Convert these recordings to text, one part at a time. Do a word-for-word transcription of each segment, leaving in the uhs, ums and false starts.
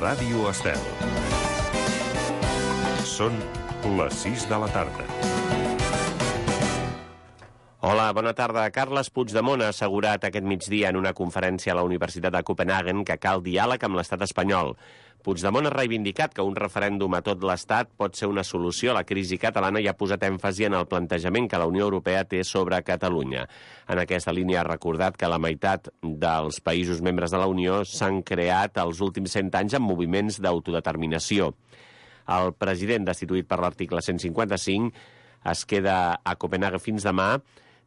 Ràdio Estel. Són les sis de la tarda. Hola, bona tarda. Carles Puigdemont ha assegurat aquest migdia en una conferència a la Universitat de Copenhagen que cal diàleg amb l'estat espanyol. Puigdemont ha reivindicat que un referèndum a tot l'estat pot ser una solució a la crisi catalana i ha posat èmfasi en el plantejament que la Unió Europea té sobre Catalunya. En aquesta línia ha recordat que la meitat dels països membres de la Unió s'han creat els últims cent anys amb moviments d'autodeterminació. El president, destituït per l'article cent cinquanta-cinc, es queda a Copenhague fins demà,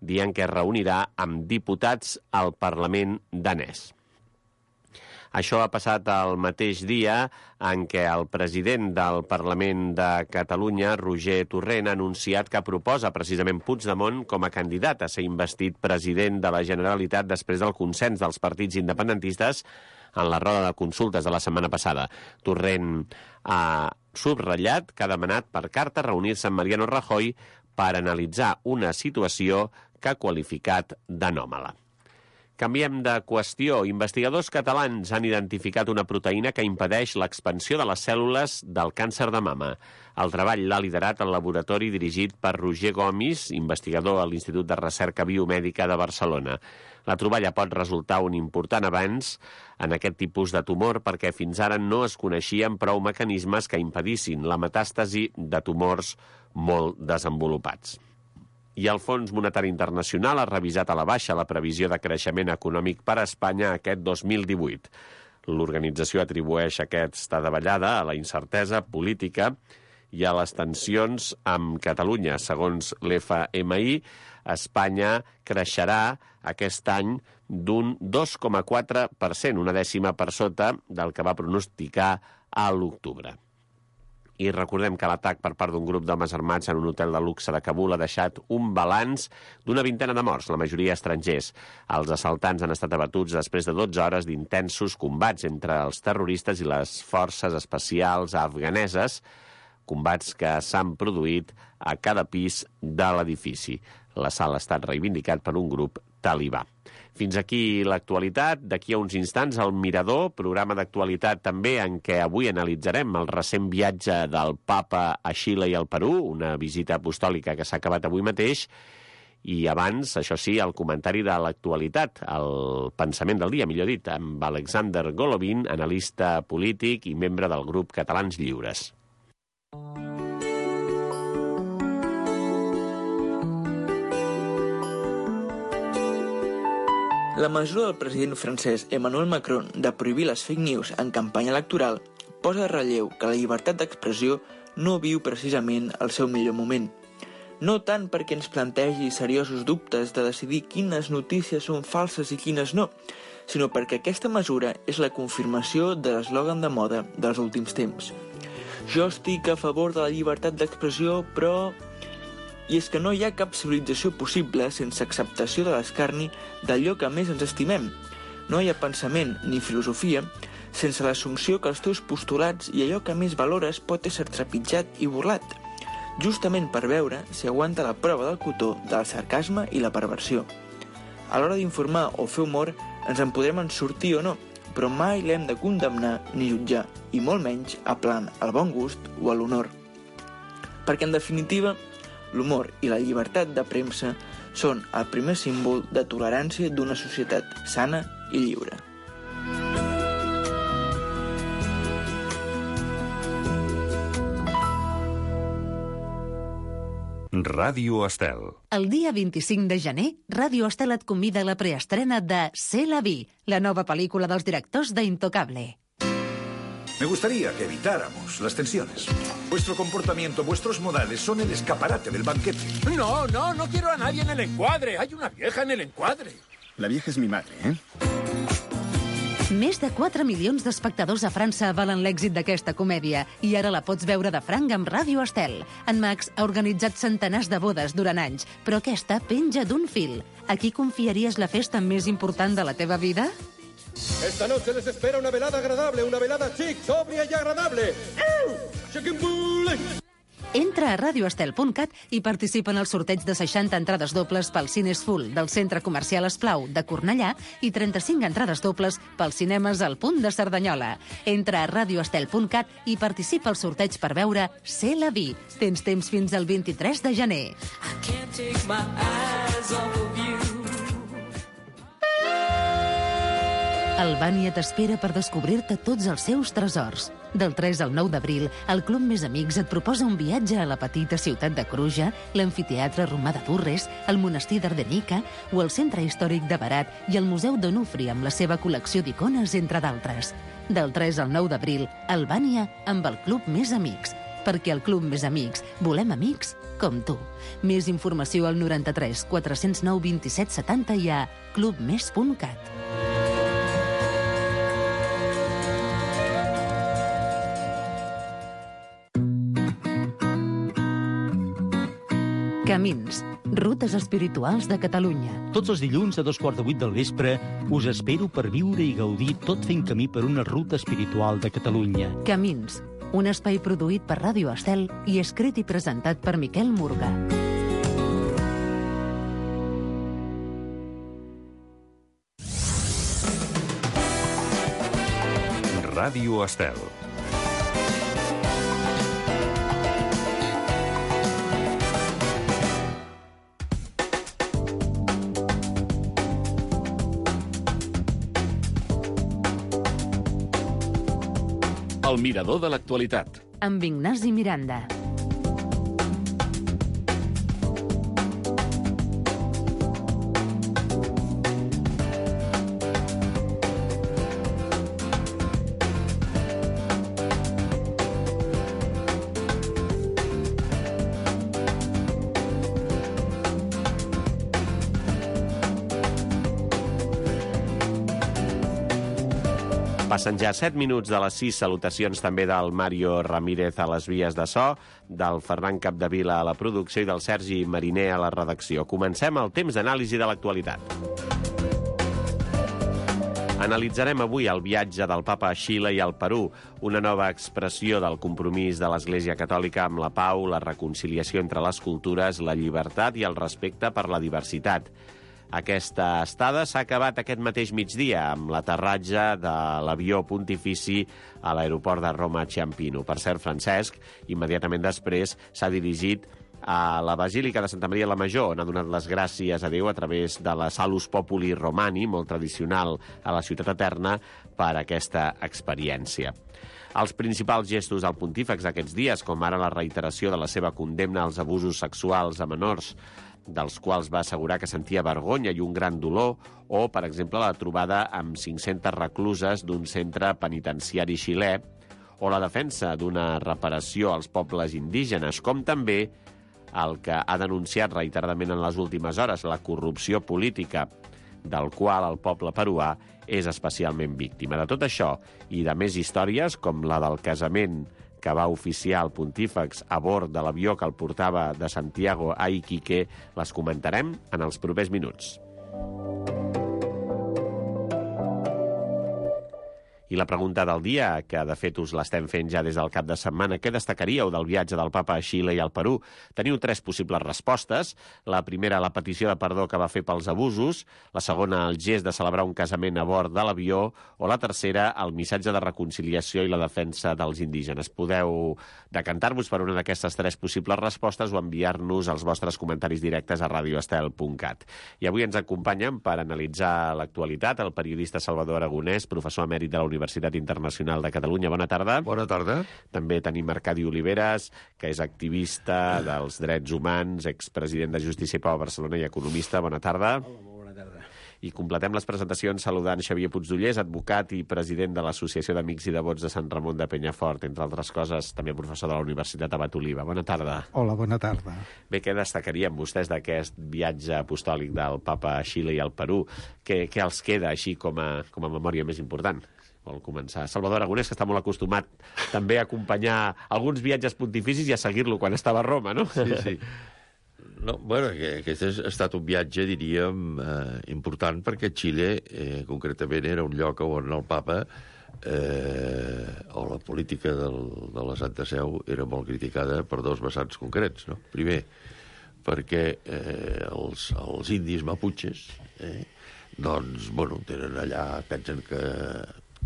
dient que es reunirà amb diputats al Parlament danès. Això ha passat el mateix dia en què el president del Parlament de Catalunya, Roger Torrent, ha anunciat que proposa precisament Puigdemont com a candidat a ser investit president de la Generalitat després del consens dels partits independentistes en la roda de consultes de la setmana passada. Torrent ha subratllat que ha demanat per carta reunir-se amb Mariano Rajoy per analitzar una situació que ha qualificat d'anòmala. Canviem de qüestió. Investigadors catalans han identificat una proteïna que impedeix l'expansió de les cèl·lules del càncer de mama. El treball l'ha liderat el laboratori dirigit per Roger Gomis, investigador a l'Institut de Recerca Biomèdica de Barcelona. La troballa pot resultar un important avanç en aquest tipus de tumor perquè fins ara no es coneixien prou mecanismes que impedissin la metàstasi de tumors molt desenvolupats. I el Fons Monetari Internacional ha revisat a la baixa la previsió de creixement econòmic per a Espanya aquest dos mil divuit. L'organització atribueix aquesta davallada a la incertesa política i a les tensions amb Catalunya. Segons l'F M I, Espanya creixerà aquest any d'un dos coma quatre per cent, una dècima per sota del que va pronosticar a l'octubre. I recordem que l'atac per part d'un grup d'homes armats en un hotel de luxe de Kabul ha deixat un balanç d'una vintena de morts, la majoria estrangers. Els assaltants han estat abatuts després de dotze hores d'intensos combats entre els terroristes i les forces especials afganeses, combats que s'han produït a cada pis de l'edifici. L'assalt ha estat reivindicat per un grup talibà. Fins aquí l'actualitat. D'aquí a uns instants, el Mirador, programa d'actualitat també en què avui analitzarem el recent viatge del Papa a Xile i al Perú, una visita apostòlica que s'ha acabat avui mateix. I abans, això sí, el comentari de l'actualitat, el pensament del dia, millor dit, amb Alexander Golovin, analista polític i membre del grup Catalans Lliures. La mesura del president francès Emmanuel Macron de prohibir les fake news en campanya electoral posa en relleu que la llibertat d'expressió no viu precisament el seu millor moment. No tant perquè ens plantegi seriosos dubtes de decidir quines notícies són falses i quines no, sinó perquè aquesta mesura és la confirmació de l'eslògan de moda dels últims temps. Jo estic a favor de la llibertat d'expressió, però... I és que no hi ha cap civilització possible sense acceptació de l'escarni d'allò que més ens estimem. No hi ha pensament ni filosofia sense l'assumpció que els teus postulats i allò que més valores pot ésser trepitjat i burlat, justament per veure si aguanta la prova del cotó del sarcasme i la perversió. A l'hora d'informar o fer humor ens en podrem en sortir o no, però mai l'hem de condemnar ni jutjar, i molt menys aplant al bon gust o a l'honor. Perquè, en definitiva, l'humor i la llibertat de premsa són el primer símbol de tolerància d'una societat sana i lliure. Ràdio Estel. El dia vint-i-cinc de gener, Ràdio Estel et convida a la preestrena de C'est la vie, la nova pel·lícula dels directors d'Intocable. Me gustaría que evitáramos las tensiones. Vuestro comportamiento, vuestros modales son el escaparate del banquete. No, no, no quiero a nadie en el encuadre. Hay una vieja en el encuadre. La vieja és mi madre, eh? Més de quatre milions d'espectadors a França avalen l'èxit d'aquesta comèdia i ara la pots veure de franc amb Ràdio Estel. En Max ha organitzat centenars de bodes durant anys, però aquesta penja d'un fil. A qui confiaries la festa més important de la teva vida? Esta noche les espera una velada agradable, una velada chic, sobria y agradable. Entra a radio estel punt cat i participa en el sorteig de seixanta entrades dobles pel Cines Full del Centre Comercial Esplau de Cornellà i trenta-cinc entrades dobles pels cinemes al Punt de Cerdanyola. Entra a radio estel punt cat i participa al sorteig per veure C'est la vie. Tens temps fins al vint-i-tres de gener. I can't take my eyes off of you. Albània t'espera per descobrir-te tots els seus tresors. Del tres al nou d'abril, el Club Més Amics et proposa un viatge a la petita ciutat de Cruja, l'amfiteatre romà de Durres, el monestir d'Ardenica o el centre històric de Berat i el Museu d'Onufri amb la seva col·lecció d'icones, entre d'altres. Del tres al nou d'abril, Albània amb el Club Més Amics. Perquè al Club Més Amics volem amics com tu. Més informació al noranta-tres quatre-cents nou vint-i-set setanta i a club més punt cat. Camins, rutes espirituals de Catalunya. Tots els dilluns a dos quarts de vuit del vespre us espero per viure i gaudir tot fent camí per una ruta espiritual de Catalunya. Camins, un espai produït per Ràdio Estel i escrit i presentat per Miquel Murga. Ràdio Estel. El mirador de l'actualitat. Amb Ignasi Miranda. Passen ja set minuts de les sis. Salutacions també del Mario Ramírez a les vies de so, del Ferran Capdevila a la producció i del Sergi Mariner a la redacció. Comencem el temps d'anàlisi de l'actualitat. Analitzarem avui el viatge del papa a Xile i al Perú, una nova expressió del compromís de l'Església Catòlica amb la pau, la reconciliació entre les cultures, la llibertat i el respecte per la diversitat. Aquesta estada s'ha acabat aquest mateix migdia amb l'aterratge de l'avió pontifici a l'aeroport de Roma Ciampino. Per cert, Francesc, immediatament després, s'ha dirigit a la Basílica de Santa Maria la Major, on ha donat les gràcies a Déu a través de la Salus Populi Romani, molt tradicional a la Ciutat Eterna, per aquesta experiència. Els principals gestos del pontífex aquests dies, com ara la reiteració de la seva condemna als abusos sexuals a menors, dels quals va assegurar que sentia vergonya i un gran dolor, o, per exemple, la trobada amb cinc-centes recluses d'un centre penitenciari xilè, o la defensa d'una reparació als pobles indígenes, com també el que ha denunciat reiteradament en les últimes hores, la corrupció política, del qual el poble peruà és especialment víctima. De tot això i de més històries, com la del casament que va oficiar el pontífex a bord de l'avió que el portava de Santiago a Iquique, les comentarem en els propers minuts. I la pregunta del dia, que de fet us l'estem fent ja des del cap de setmana, què destacaríeu del viatge del papa a Xile i al Perú? Teniu tres possibles respostes. La primera, la petició de perdó que va fer pels abusos. La segona, el gest de celebrar un casament a bord de l'avió. O la tercera, el missatge de reconciliació i la defensa dels indígenes. Podeu decantar-vos per una d'aquestes tres possibles respostes o enviar-nos els vostres comentaris directes a radio estel punt cat. I avui ens acompanyen per analitzar l'actualitat el periodista Salvador Aragonès, professor emèrit de la Universitat Internacional de Catalunya. Bona tarda. Bona tarda. També tenim Arcadi Oliveres, que és activista dels drets humans, expresident de Justícia i Pau a Barcelona i economista. Bona tarda. Hola, bona tarda. I completem les presentacions saludant Xavier Puigdollers, advocat i president de l'Associació d'Amics i Devots de Sant Ramon de Penyafort, entre altres coses, també professor de la Universitat Abat Oliva. Bona tarda. Hola, bona tarda. Bé, què destacarien vostès d'aquest viatge apostòlic del papa a Xile i al Perú? Què, què els queda així com a, com a memòria més important? Vol començar. Salvador Aragonès, que està molt acostumat també a acompanyar alguns viatges pontificis i a seguir-lo quan estava a Roma, no? Sí, sí. No, bueno, aquest ha estat un viatge, diríem, eh, important, perquè Xile, eh, concretament, era un lloc on el papa eh, o la política del, de la Santa Seu era molt criticada per dos vessants concrets, no? Primer, perquè eh, els, els indis maputxes, eh, doncs, bueno, tenen allà, pensen que...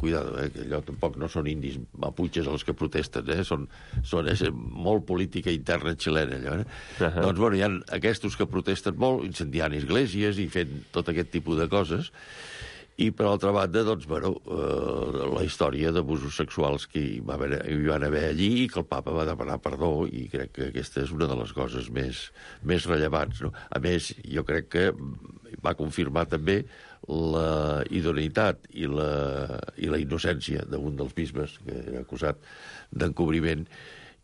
Cuidado, eh, que allò tampoc no són indis maputxes els que protesten, eh? Són, són és molt política interna xilena, allò, eh? Uh-huh. Doncs, bueno, hi ha aquests que protesten molt, incendiant esglésies i fent tot aquest tipus de coses, i, per altra banda, doncs, bueno, eh, la història d'abusos sexuals que hi, va haver, hi van haver allí i que el papa va demanar perdó, i crec que aquesta és una de les coses més, més rellevants, no? A més, jo crec que va confirmar també la idoneïtat i la, i la innocència d'un dels bisbes que era acusat d'encobriment,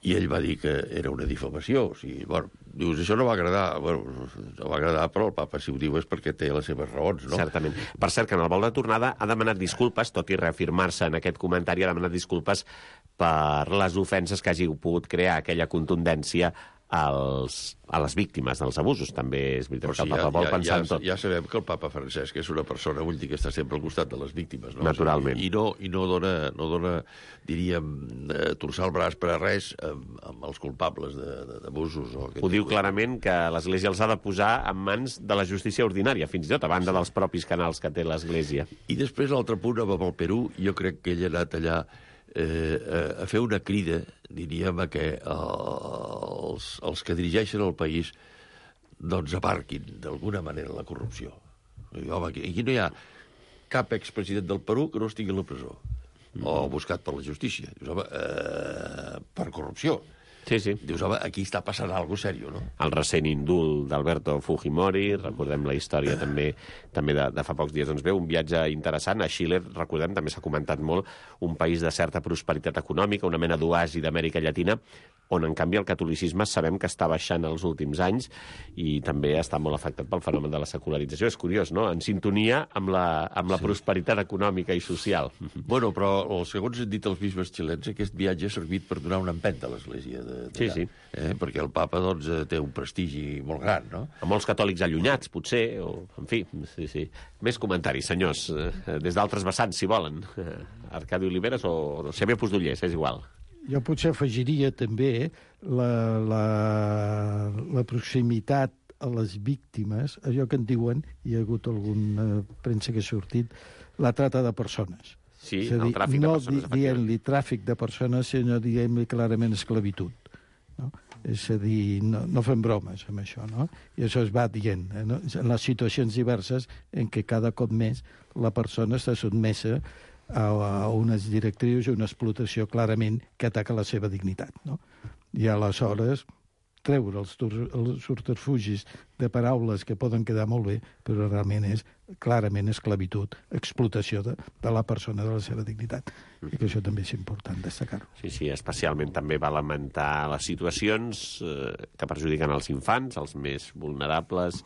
i ell va dir que era una difamació. O sigui, bueno, dius, això no va agradar. Bueno, no va agradar, però el papa, si ho diu, és perquè té les seves raons, no? Certament. Per cert, que en el vol de tornada ha demanat disculpes, tot i reafirmar-se en aquest comentari, ha demanat disculpes per les ofenses que hagi pogut crear aquella contundència als, a les víctimes dels abusos. També és veritat que el papa ja, vol ja, pensar ja, en tot. Ja sabem que el papa Francesc és una persona, vull dir, que està sempre al costat de les víctimes, no? Naturalment. I no, i no dona, no dona, diríem, eh, torçar el braç per a res amb, amb els culpables d'abusos. Ho diu clarament que l'Església els ha de posar en mans de la justícia ordinària, fins i tot a banda sí. dels propis canals que té l'Església. I després, l'altre punt, amb el Perú, jo crec que ell ha anat allà Eh, a fer una crida, diríem, a que els, els que dirigeixen el país doncs aparquin d'alguna manera la corrupció. Home, aquí, aquí no hi ha cap expresident del Perú que no estigui a la presó mm. o buscat per la justícia. Dius, home, eh, per corrupció. Sí, sí. Dius, home, aquí està passant alguna cosa seriós, no? El recent indult d'Alberto Fujimori, recordem la història també també de, de fa pocs dies. Doncs bé, un viatge interessant. A Xile, recordem, també s'ha comentat molt, un país de certa prosperitat econòmica, una mena d'oasi d'Amèrica Llatina, on, en canvi, el catolicisme sabem que està baixant els últims anys i també està molt afectat pel fenomen de la secularització. És curiós, no?, en sintonia amb la, amb la sí. prosperitat econòmica i social. Bueno, però, segons han dit els bisbes xilens, aquest viatge ha servit per donar una empenta a l'Església de Sí, sí. Eh? Perquè el papa, doncs, té un prestigi molt gran, no? A molts catòlics allunyats, potser, o, en fi, sí, sí. Més comentaris, senyors, des d'altres vessants, si volen. Arcadi Oliveres o Xavier Puigdollers, és igual. Jo potser afegiria també la, la, la proximitat a les víctimes, allò que en diuen, hi ha hagut alguna premsa que ha sortit, la trata de persones. Sí, és a dir, el tràfic no de persones. No dient-li tràfic de persones, sinó dient-li clarament esclavitud. No? És a dir, no, no fem bromes amb això, no? I això es va dient, eh, no? En les situacions diverses en què cada cop més la persona està sotmesa a, a unes directrius i una explotació clarament que ataca la seva dignitat, no? I aleshores treure els, els subterfugis de paraules que poden quedar molt bé, però realment és clarament esclavitud, explotació de, de la persona, de la seva dignitat. I que això també és important destacar-ho. Sí, sí, especialment també va lamentar les situacions eh, que perjudiquen els infants, els més vulnerables,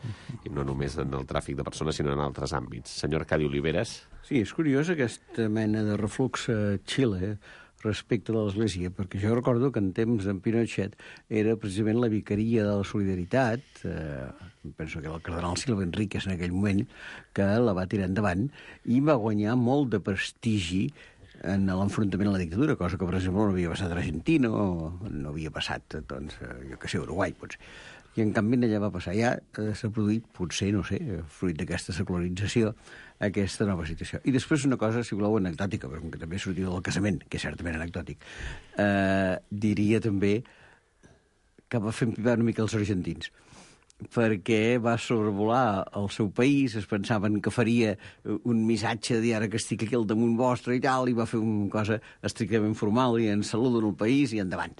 i no només en el tràfic de persones, sinó en altres àmbits. Senyor Arcadi Oliveres. Sí, és curiós aquesta mena de reflux a Xile, respecte de l'Església, perquè jo recordo que en temps d'en Pinochet era precisament la vicaria de la solidaritat, eh, penso que era el cardenal Silva Enríquez en aquell moment, que la va tirar endavant i va guanyar molt de prestigi en l'enfrontament a la dictadura, cosa que, per exemple, no havia passat a Argentina o no havia passat, doncs, jo que sé, a Uruguai, potser. I, en canvi, allà va passar. Ja eh, s'ha produït, potser, no sé, fruit d'aquesta secularització, aquesta nova situació. I després una cosa, si voleu, anecdòtica, però que també sortia del casament, que és certament anecdòtic, eh, diria també que va fer empipar una mica els argentins, perquè va sobrevolar el seu país, es pensaven que faria un missatge de dir ara que estic aquí al damunt vostre i tal, i va fer una cosa estrictament formal i en salut en el país i endavant.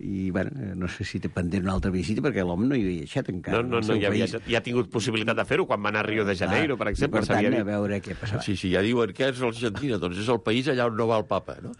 I, bueno, no sé si té pendent una altra visita, perquè l'home no hi havia deixat encara. No, no, no, ja, havia, ja ha tingut possibilitat de fer-ho quan va anar a Rio de Janeiro, ah, per exemple. Per tant, a veure què passarà. Sí, sí, ja diuen que és l'Argentina, doncs és el país allà on no va el papa, no?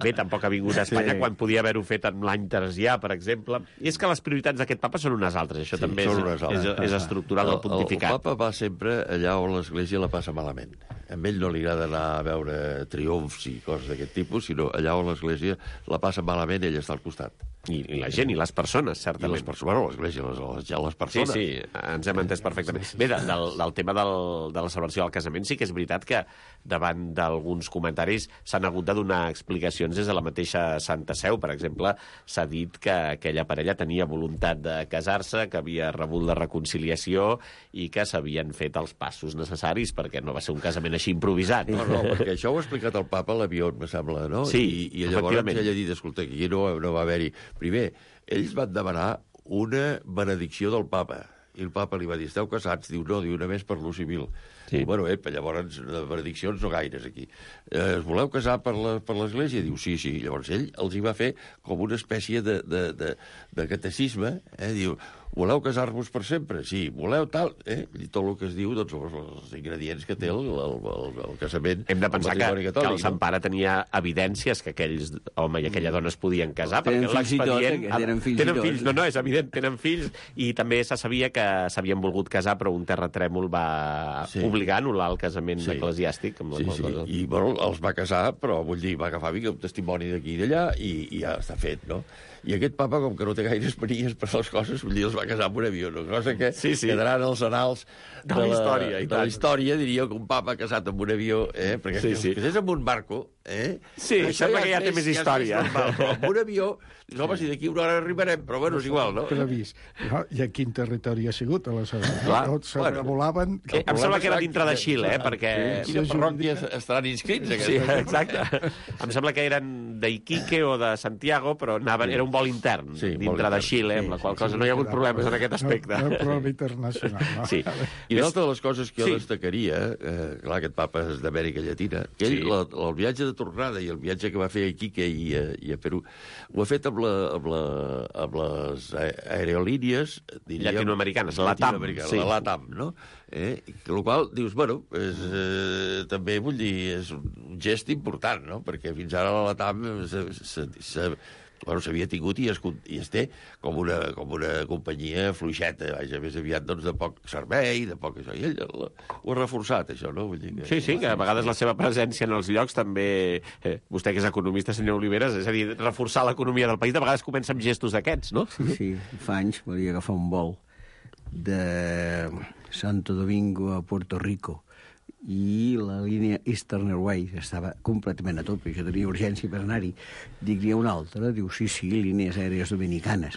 Bé, tampoc ha vingut a Espanya sí. quan podia haver-ho fet en l'any tercià, per exemple. I és que les prioritats d'aquest papa són unes altres, això sí, també és, és, és estructural del pontificat. El, el papa va sempre allà on l'Església la passa malament. A ell no li agrada anar a veure triomfs i coses d'aquest tipus, sinó allà on l'Església la passa malament, ell està al costat. I, I la gent, i les persones, certament. I les persones, bueno, l'Església, les, les, les persones. Sí, sí, ens hem entès perfectament. Bé, de, del, del tema del, de la celebració del casament, sí que és veritat que davant d'alguns comentaris s'han hagut de donar explicacions des de la mateixa Santa Seu. Per exemple, s'ha dit que aquella parella tenia voluntat de casar-se, que havia rebut la reconciliació i que s'havien fet els passos necessaris perquè no va ser un casament així improvisat. No, no, perquè això ho ha explicat el papa a l'avió, me sembla, no? Sí, I, i llavors ell ha dit, escolta, aquí no, no va haver-hi... Primer, ells van demanar una benedicció del papa, i el papa li va dir, esteu casats? Diu, no, diu, una més per l'ús civil. Sí. Bueno, eh, llavors, de benediccions no gaires, aquí. Eh, es voleu casar per l'Església? Diu, sí, sí. Llavors ell els hi va fer com una espècie de, de, de, de catecisme, eh? Diu, voleu casar-vos per sempre? Sí. Voleu tal? Eh? I tot el que es diu, doncs, els, els ingredients que té el, el, el, el casament. Hem de pensar que, catòlic, que el Sant Pare tenia evidències que aquells home i aquella dona es podien casar, tenen perquè l'expedient... Tenen fills, tenen fills, no, no, és evident, tenen fills, i també se sabia que s'havien volgut casar, però un terratrèmol va sí. obligar a anul·lar el casament sí. eclesiàstic. Amb sí, la sí, i bueno, els va casar, però vull dir, va agafar un testimoni d'aquí i d'allà, i, i ja està fet, no? I aquest papa, com que no té gaires manies per les coses, vull dir, els va casar amb un avió, una cosa que sí, sí. quedaran als anals de, de la història. De la història, diria que un papa casat amb un avió, eh? Perquè sí, si sí. casés amb un barco, eh? Sí, això sembla ja que ja té més història. Ja normal, però amb un avió, home, si d'aquí una hora arribarem, però bueno, és igual, no? Previst. No? I a quin territori ha sigut, aleshores? Clar. Tots sobrevolaven... Eh, em sembla que era dintre de Xile, eh? Perquè... Sí, quina parròquia estaran inscrits? Sí, exacte. Em sembla que eren d'Iquique o de Santiago, però anaven, era un vol intern, sí, dintre de Xile, amb la qual cosa no hi ha hagut problemes en aquest aspecte. No, no problema internacional, no? Sí. I una altra de les coses que jo sí. destacaria, eh, clar, aquest papa és d'Amèrica Llatina, que ell, sí. la, el viatge de tornada i el viatge que va fer a Iquique i a, i a Perú, ho ha fet amb, la, amb, la, amb les aerolínies, diríem... Llatinoamericanes, la LATAM. Sí. La LATAM, no? Eh? El qual, dius, bueno, és, eh, també vull dir, és un gest important, no? Perquè fins ara la LATAM s'ha... Bueno, s'havia tingut i es, i es té com una, com una companyia fluixeta, vaja, més aviat doncs, de poc servei, de poc això. I ell ho ha reforçat, això, no? Vull dir que... Sí, sí, que a vegades la seva presència en els llocs també... Eh, vostè, que és economista, senyor Oliveres, és a dir, reforçar l'economia del país, de vegades comença amb gestos d'aquests, no? Sí, sí. Fa anys volia agafar un vol de Santo Domingo a Puerto Rico i la línia Eastern Airways estava completament a tope, jo tenia urgència per anar-hi. Dic, hi ha una altra? Diu, sí, sí, línies aèries dominicanes.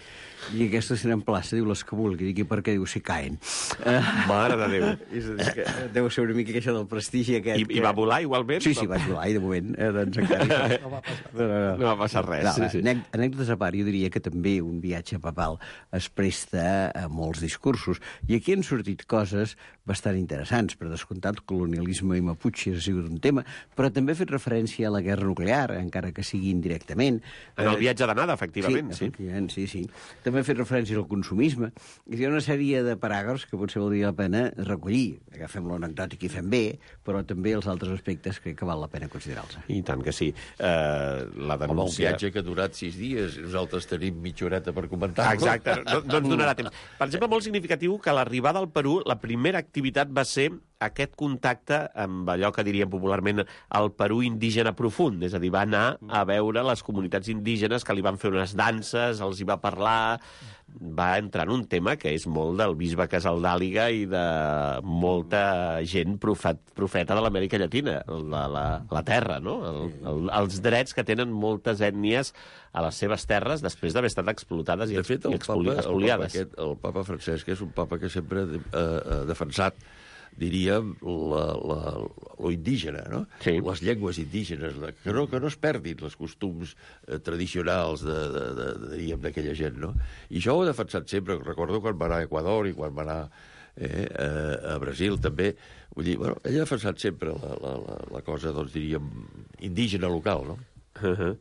I aquestes tenen plaça, diu, les que vulgui. Dic, i per què? Diu, si caen. Mare de Déu. És a dir, que deu ser una mica que això del prestigi aquest. I, que... i va volar igualment? Sí, sí, vaig volar, i de moment, eh, doncs encara... No va passar, no, no, no. No va passar res. No, sí, sí. Anècdotes a part, jo diria que també un viatge papal es presta a molts discursos. I aquí han sortit coses bastant interessants. Per descomptat, colonialisme i Mapuche ha sigut un tema, però també ha fet referència a la guerra nuclear, encara que sigui indirectament. En el viatge d'anada, efectivament. Sí, efectivament, sí, sí. També ha fet referència al consumisme. Hi ha una sèrie de paràgrafs que potser valdria la pena recollir. Agafem l'anecdòtic i fem bé, però també els altres aspectes crec que val la pena considerar-los. I tant que sí. Uh, la denúncia... Home, un viatge que ha durat sis dies, nosaltres tenim mitja horeta per comentar-lo. Exacte, no, no ens donarà temps. Per exemple, molt significatiu que a l'arribada al Perú, la primera activitat va ser aquest contacte amb allò que diríem popularment el Perú indígena profund, és a dir, va anar a veure les comunitats indígenes que li van fer unes danses, els hi va parlar, va entrar en un tema que és molt del bisbe Casaldàliga i de molta gent profet, profeta de l'Amèrica Llatina, la, la, la terra, no? El, el, els drets que tenen moltes ètnies a les seves terres després d'haver estat explotades i, de fet, el i expoli, papa, expoliades. El papa, aquest, el papa Francesc és un papa que sempre ha eh, defensat, diríem, la, la, lo indígena, no? Sí. Les llengües indígenes, la, que, no, que no es perdin els costums eh, tradicionals de, de, de, de, diríem, d'aquella gent, no? I això ho ha defensat sempre. Recordo quan va anar a Equador i quan va anar eh, a, a Brasil, també. Vull dir, bueno, ell ha defensat sempre la, la, la, la cosa, doncs, diríem, indígena local, no? Uh-huh.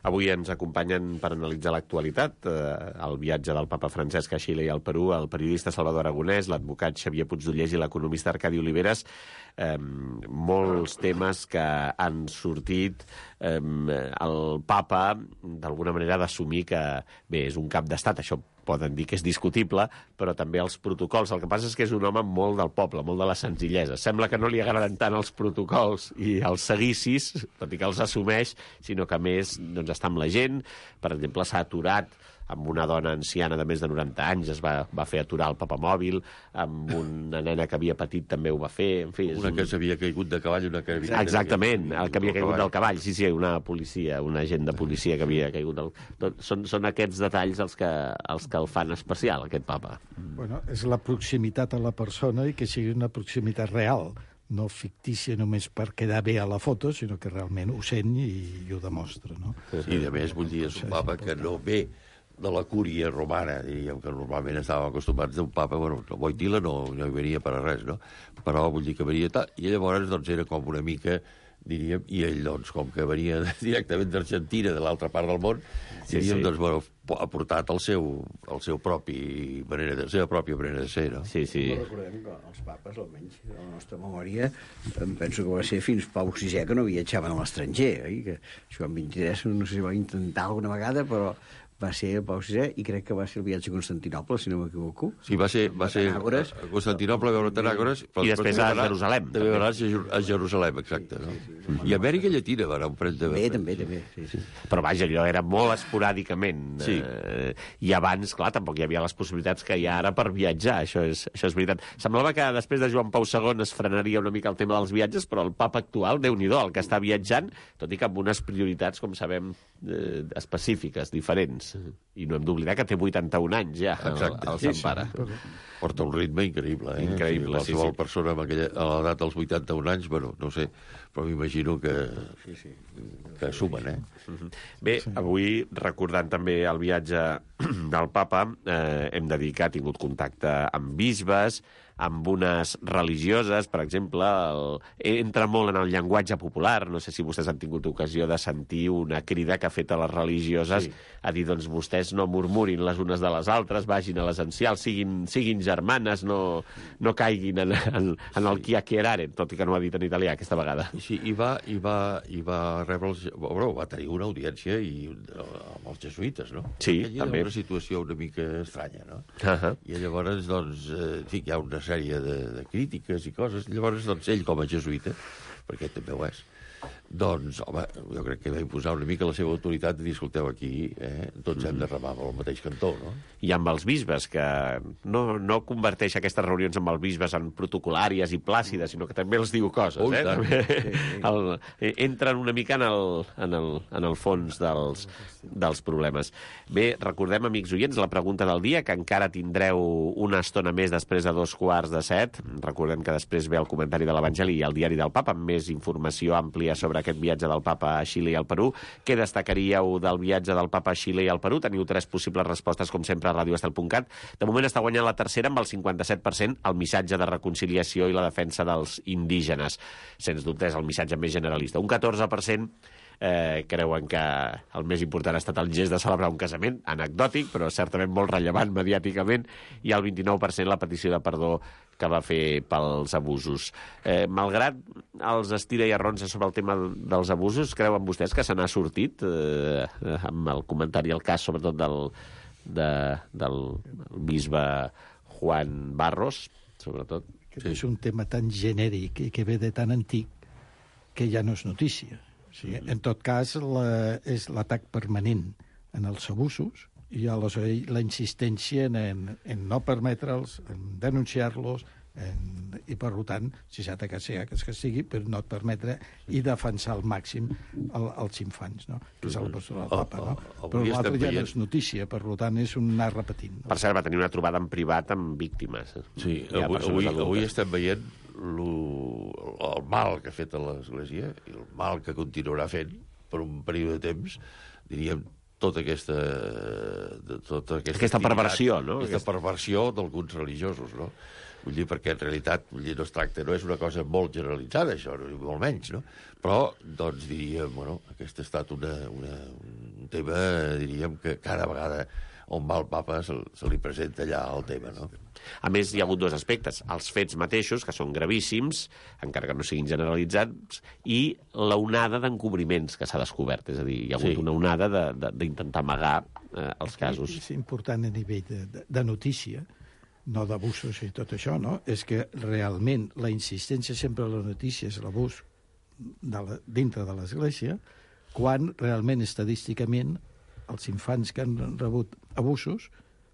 Avui ens acompanyen per analitzar l'actualitat eh, el viatge del papa Francesc a Xile i al Perú, el periodista Salvador Aragonès, l'advocat Xavier Puigdollers i l'economista Arcadi Oliveres. Eh, molts temes que han sortit. Eh, el papa, d'alguna manera, ha d'assumir que, bé, és un cap d'estat, això poden dir que és discutible, però també els protocols. El que passa és que és un home molt del poble, molt de la senzillesa. Sembla que no li agraden tant els protocols i els seguicis, tot i que els assumeix, sinó que, a més, doncs, està amb la gent. Per exemple, s'ha aturat amb una dona anciana de més de noranta anys es va, va fer aturar el papamòbil, amb una nena que havia patit també ho va fer, en fi... Una un... que s'havia caigut de cavall, una que havia... Exactament, el que havia caigut del cavall, sí, sí, una policia, un agent de policia que havia caigut del... Són, són aquests detalls els que, els que el fan especial, aquest papa. Bueno, és la proximitat a la persona i que sigui una proximitat real, no fictícia només per quedar bé a la foto, sinó que realment ho sent i, i ho demostra, no? I, a més, vull dir, és un papa que no ve de la cúria romana, diríem que normalment estàvem acostumats d'un papa, bueno, Wojtyla no, no hi venia per a res, no? Però vull dir que venia tal, i llavors doncs era com una mica, diríem, i ell, doncs, com que venia directament d'Argentina, de l'altra part del món, sí, diríem, sí. doncs, bueno, ha portat el seu, el seu propi manera de, la seva pròpia manera de ser, no? Sí, sí. No recordem que els papes, almenys, de la nostra memòria, em penso que va ser fins Pau sisè que no viatjaven a l'estranger, oi? Que Joan vint-i-tres, no sé si va intentar alguna vegada, però va ser el Pau sisè i crec que va ser el viatge a Constantinople, si no m'equivoco. Sí, va ser, va ser a Constantinople, a veure Tanàgores... I després a Jerusalem. També va anar a Jerusalem, exacte. No? Sí, sí. I a Amèrica Llatina va anar un parell de... També, també, també. Sí, sí. Però vaja, allò era molt esporàdicament. Sí. Eh, I abans, clar, tampoc hi havia les possibilitats que hi ha ara per viatjar, això és, això és veritat. Semblava que després de Joan Pau segon es frenaria una mica el tema dels viatges, però el papa actual, Déu-n'hi-do, el que està viatjant, tot i que amb unes prioritats, com sabem, eh, específiques, diferents. I no hem d'oblidar que té vuitanta-un anys ja, exacte, el, el sí, Sant Pare. Sí. Porta un ritme increïble, eh? Increïble, sí, sí, qualsevol sí. persona amb aquella, a l'edat dels vuitanta-un anys, bueno, no sé, però m'imagino que, sí, sí. que sumen, eh? Bé, avui, recordant també el viatge del papa, eh, hem de dir que ha tingut contacte amb bisbes, amb unes religioses, per exemple, el... entra molt en el llenguatge popular. No sé si vostès han tingut ocasió de sentir una crida que ha fet a les religioses sí. a dir, doncs, vostès no murmurin les unes de les altres, vagin a l'essencial, siguin, siguin germanes, no, no caiguin en, en, en el qui a queraren, tot i que no ho ha dit en italià aquesta vegada. Sí, i va, i va, i va rebre els... Bueno, va tenir una audiència i, amb els jesuïtes, no? Sí, Aquella també. Era una situació una mica estranya, no? Uh -huh. I llavors, doncs, eh, en fi, hi ha una sèrie de, de crítiques i coses. Llavors, doncs, ell com a jesuïta, perquè també ho és, doncs, home, jo crec que va imposar una mica la seva autoritat de dir, escolteu, aquí eh, tots hem de remar amb el mateix cantó, no? I amb els bisbes, que no, no converteix aquestes reunions amb els bisbes en protocolàries i plàcides, sinó que també els diu coses, oh, eh? També, sí, sí. El, entren una mica en el, en el, en el fons dels, dels problemes. Bé, recordem, amics oients, la pregunta del dia, que encara tindreu una estona més després de dos quarts de set. Recordem que després ve el comentari de l'Evangeli i el diari del Papa, amb més informació àmplia sobre aquest viatge del Papa a Xile i al Perú. Què destacaríeu del viatge del Papa a Xile i al Perú? Teniu tres possibles respostes, com sempre, a radio estel punt cat. De moment està guanyant la tercera amb el cinquanta-set per cent, el missatge de reconciliació i la defensa dels indígenes. Sens dubte és el missatge més generalista. Un catorze per cent eh, creuen que el més important ha estat el gest de celebrar un casament, anecdòtic, però certament molt rellevant mediàticament, i el vint-i-nou per cent la petició de perdó que va fer pels abusos. Eh, malgrat els estira i arronsa sobre el tema dels abusos, creuen vostès que se n'ha sortit eh, amb el comentari, el cas sobretot del, de, del bisbe Juan Barros, sobretot? Que és un tema tan genèric i que ve de tan antic que ja no és notícia. O sigui, en tot cas, la, és l'atac permanent en els abusos i aleshores la insistència en, en, en no permetre'ls, en denunciar-los, en, i per tant, si s'ha de castigar, que es castigui, però no et permetre i defensar al màxim el, els infants, no? Que és el postura del Papa, no? Però l'altre ja no és notícia, per tant, és un anar repetint. No? Per cert, va tenir una trobada en privat amb víctimes. Sí, avui, avui, avui estem veient lo, el mal que ha fet a l'Església i el mal que continuarà fent per un període de temps, diríem, tota aquesta... Tota aquesta, aquesta perversió, no? Aquesta perversió d'alguns religiosos, no? Vull dir, perquè en realitat vull dir, no es tracta, no és una cosa molt generalitzada, això, molt menys, no? Però, doncs, diríem, bueno, aquest ha estat una, una, un tema, diríem, que cada vegada on va el papa se, se li presenta allà el tema, no? A més, hi ha hagut dos aspectes. Els fets mateixos, que són gravíssims, encara que no siguin generalitzats, i la onada d'encobriments que s'ha descobert. És a dir, hi ha hagut sí. una onada d'intentar amagar eh, els casos. És important a nivell de, de, de notícia, no d'abusos i tot això, no? És que realment la insistència sempre a la notícia és l'abús de la, dintre de l'Església, quan realment estadísticament els infants que han rebut abusos,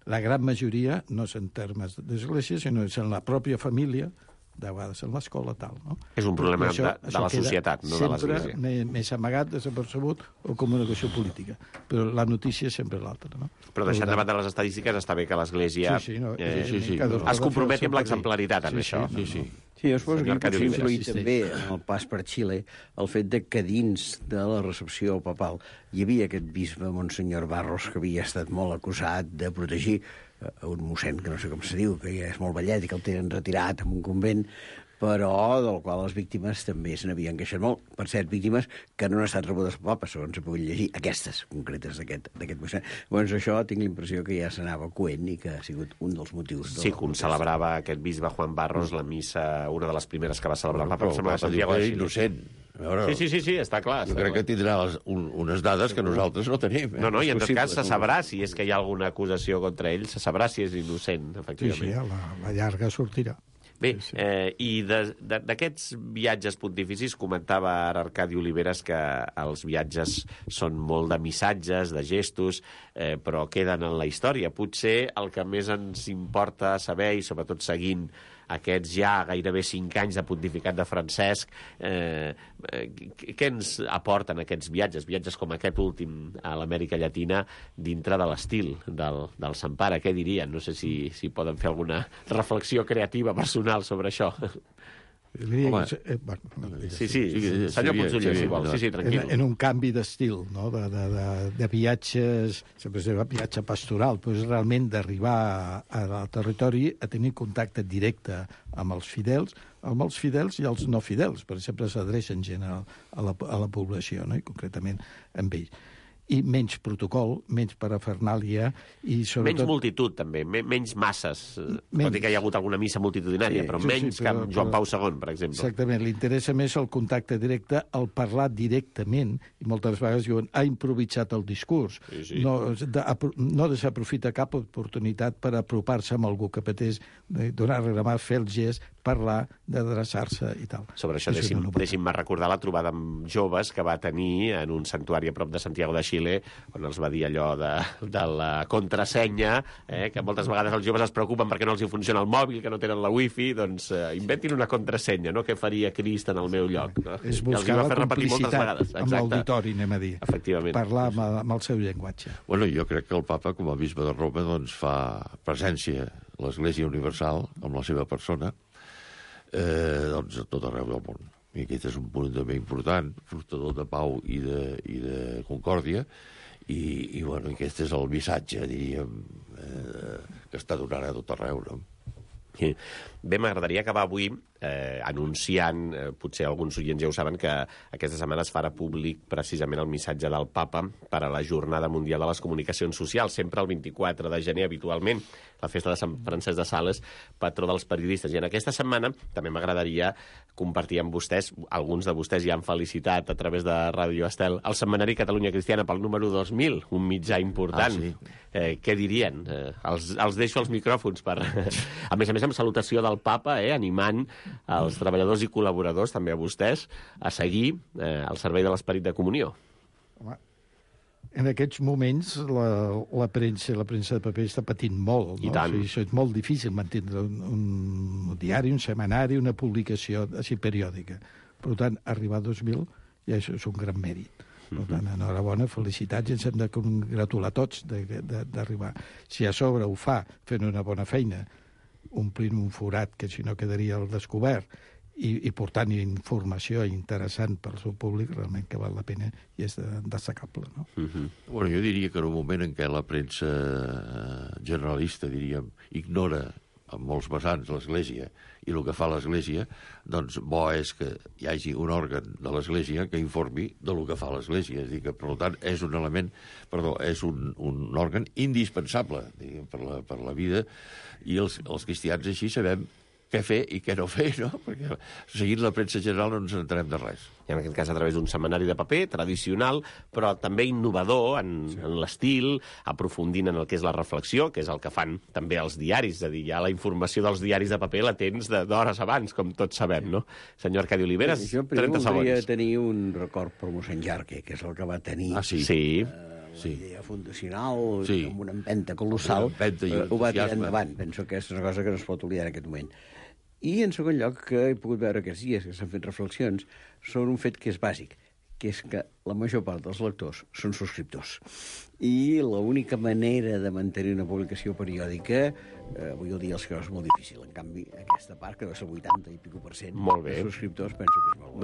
la gran majoria no és en termes d'església, sinó és en la pròpia família, de vegades en l'escola, tal, no? És un problema això, de, de la societat, no de l'església. Sempre més amagat, desapercebut o comunicació política. Però la notícia és sempre l'altra, no? Però deixant de banda les estadístiques, està bé que l'església sí, sí, no, eh, sí, sí, es comprometi amb l'exemplaritat en sí, això. Sí, sí. Sí, jo suposo que Senyor pot Arcadi influir Oliveres. també en el pas per Xile el fet de que dins de la recepció papal hi havia aquest bisbe, Monsenyor Barros, que havia estat molt acusat de protegir a un mossèn, que no sé com se diu, que ja és molt vellet i que el tenen retirat en un convent, però del qual les víctimes també se n'havien queixat molt. Per cert, víctimes que no han estat rebudes pel papa, segons he pogut llegir, aquestes concretes d'aquest mossèn. Llavors això tinc la impressió que ja s'anava coent i que ha sigut un dels motius. Sí, com celebrava aquest bisbe Juan Barros la missa, una de les primeres que va celebrar el papa, Però el papa diu que és innocent. Veure, sí, sí, sí, sí, està clar. Jo està crec clar. que tindrà les, un, unes dades que nosaltres no tenim. Eh? No, no, i en tot possible, cas se sabrà si és que hi ha alguna acusació contra ell, se sabrà si és innocent, Sí, efectivament. sí, a la, la llarga sortirà. Bé, eh, i d'aquests viatges pontificis comentava ara Arcadi Oliveres que els viatges són molt de missatges, de gestos, eh, però queden en la història. Potser el que més ens importa saber, i sobretot seguint aquests ja gairebé cinc anys de pontificat de Francesc, eh, què ens aporten aquests viatges, viatges com aquest últim a l'Amèrica Llatina, dintre de l'estil del, del Sant Pare? Què dirien? No sé si, si poden fer alguna reflexió creativa personal sobre això. Home, eh, bueno, sí, sí, sí, senyor Puigdoller, si vol. Sí, sí, tranquil. En, en un canvi d'estil, no? de, de, de, de viatges, sempre es diu viatge pastoral, però és realment d'arribar al territori a tenir contacte directe amb els fidels, amb els fidels i els no fidels. Per exemple, s'adreça en general a la, a la població, no? I concretament amb ells. I menys protocol, menys parafernàlia i sobretot... Menys multitud, també, menys masses. Menys. Tot i que hi ha hagut alguna missa multitudinària, sí, però sí, menys sí, però, que Joan Pau segon, per exemple. Exactament, li interessa més el contacte directe, el parlar directament, i moltes vegades diuen, ha improvisat el discurs. Sí, sí. No, de, no desaprofita cap oportunitat per apropar-se amb algú que pateix, donar-li la mà, fer el gest, parlar, d'adreçar-se i tal. Sobre això, deixi'm, deixi'm recordar la trobada amb joves que va tenir en un santuari a prop de Santiago de Xile, on els va dir allò de, de la contrasenya, eh, que moltes vegades els joves es preocupen perquè no els hi funciona el mòbil, que no tenen la wifi, doncs eh, inventin una contrasenya, no? Què faria Crist en el meu lloc? No? És buscar la complicitat amb l'auditori, anem a dir. Efectivament. Parlar amb, amb el seu llenguatge. Bueno, jo crec que el papa, com a bisbe de Roma, doncs fa presència a l'Església Universal, amb la seva persona, eh, doncs a tot arreu del món. I aquest és un punt també important, portador de pau i de, i de concòrdia, i, i bueno, aquest és el missatge, diríem, eh, que està donant a tot arreu, no? Sí. Bé, m'agradaria acabar avui eh, anunciant, eh, potser alguns oients ja ho saben, que aquesta setmana es farà públic precisament el missatge del papa per a la Jornada Mundial de les Comunicacions Socials, sempre el vint-i-quatre de gener, habitualment, la festa de Sant Francesc de Sales, patró dels periodistes. I en aquesta setmana també m'agradaria compartir amb vostès, alguns de vostès ja han felicitat a través de Ràdio Estel, el Setmanari Catalunya Cristiana pel número dos mil, un mitjà important. Ah, sí. eh, què dirien? Eh, els, els deixo els micròfons per... a més a més, amb salutació del papa, eh, animant els treballadors i col·laboradors, també a vostès, a seguir eh, el servei de l'esperit de comunió. Home, en aquests moments la, la premsa la premsa de paper està patint molt, no? I tant. O sigui, això és molt difícil mantenir un, un diari, un setmanari, una publicació així periòdica. Per tant, arribar a dos mil ja és, és un gran mèrit. Per tant, enhorabona, felicitats, i ens hem de congratular tots d'arribar. Si a sobre ho fa fent una bona feina, omplint un forat que si no quedaria al descobert, i, i portant informació interessant pel seu públic, realment que val la pena i és destacable, no? Uh -huh. Bueno, jo diria que en un moment en què la premsa generalista, diríem, ignora en molts vessants l'Església i el que fa l'Església, doncs bo és que hi hagi un òrgan de l'Església que informi de lo que fa l'Església. És a dir, que, per tant, és un element, perdó, és un, un òrgan indispensable, diguem, per la, per la vida, i els, els cristians així sabem què fer i què no fer, no? Perquè seguint la premsa general no ens entenem de res. I en aquest cas a través d'un setmanari de paper tradicional, però també innovador en, sí. en l'estil, aprofundint en el que és la reflexió, que és el que fan també els diaris, és a dir, ja la informació dels diaris de paper la tens d'hores abans, com tots sabem, no? Senyor Arcadi Oliveres, sí, trenta segons. Jo voldria tenir un record per mossèn Jarque, que és el que va tenir... Ah, sí? Sí. Eh, Sí. Una idea fundacional, Sí. amb una empenta colossal, Una empenta i un eh, ho va tirar entusiasme. endavant. Penso que és una cosa que no es pot oblidar en aquest moment. I, en segon lloc, que he pogut veure aquests dies, que s'han fet reflexions, sobre un fet que és bàsic, que és que la major part dels lectors són subscriptors. I l'única manera de mantenir una publicació periòdica, eh, avui el dia els creus és molt difícil. En canvi, aquesta part, que deu ser el vuitanta i pico per cent Molt bé. de subscriptors, penso que és molt bo.